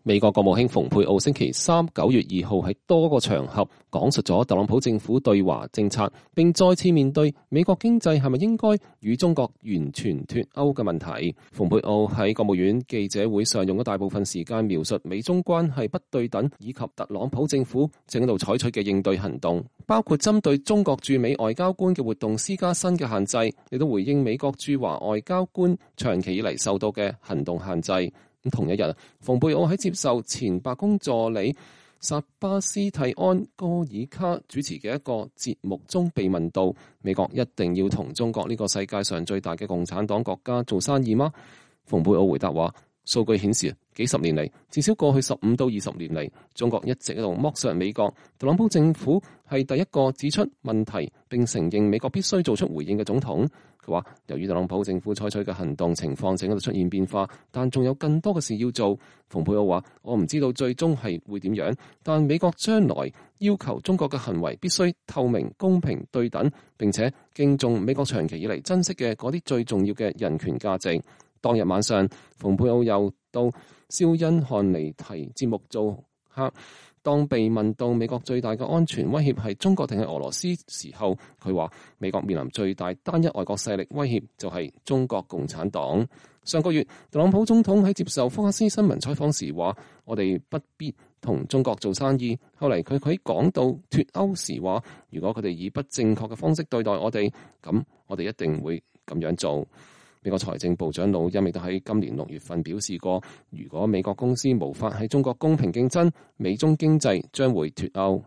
美國國務卿蓬佩奧星期三9月2號喺多個場合講述咗特朗普政府對華政策，並再次面對美國經濟係咪應該與中國完全脫鈎嘅問題。蓬佩奧喺國務院記者會上用咗大部分時間描述美中關係不對等，以及特朗普政府正喺度採取嘅應對行動，包括針對中國駐美外交官嘅活動施加新嘅限制，亦都回應美國駐華外交官長期以嚟受到嘅行動限制。同一日，蓬佩奧喺接受前白宮助理薩巴斯蒂安哥爾卡主持嘅一個節目中被問到，美國一定要同中國呢個世界上最大嘅共產黨國家做生意嗎？蓬佩奧回答話，數據顯示幾十年嚟，至少過去15到20年嚟，中國一直喺度剝削美國。特朗普政府係第一個指出問題並承認美國必須做出回應嘅總統。佢話，由於特朗普政府採取嘅行動情況正喺度出現變化，但仲有更多嘅事要做。蓬佩奧話，我唔知道最終係會點樣，但美國將來要求中國嘅行為必須透明、公平、對等，並且敬重美國長期以嚟珍惜嘅嗰啲最重要嘅人權價值。當日晚上，蓬佩奧又到肖恩漢尼提節目做客。當被問到美國最大嘅安全威脅係中國定係俄羅斯時候，佢話美國面臨最大單一外國勢力威脅就係中國共產黨。上個月，特朗普總統喺接受福克斯新聞採訪時話，我哋不必同中國做生意。後嚟佢講到脫歐時話，如果佢哋以不正確嘅方式對待我哋，咁我哋一定會咁樣做。美國財政部長魯欽亦都喺今年6月份表示過，如果美國公司無法喺中國公平競爭，美中經濟將會脫歐。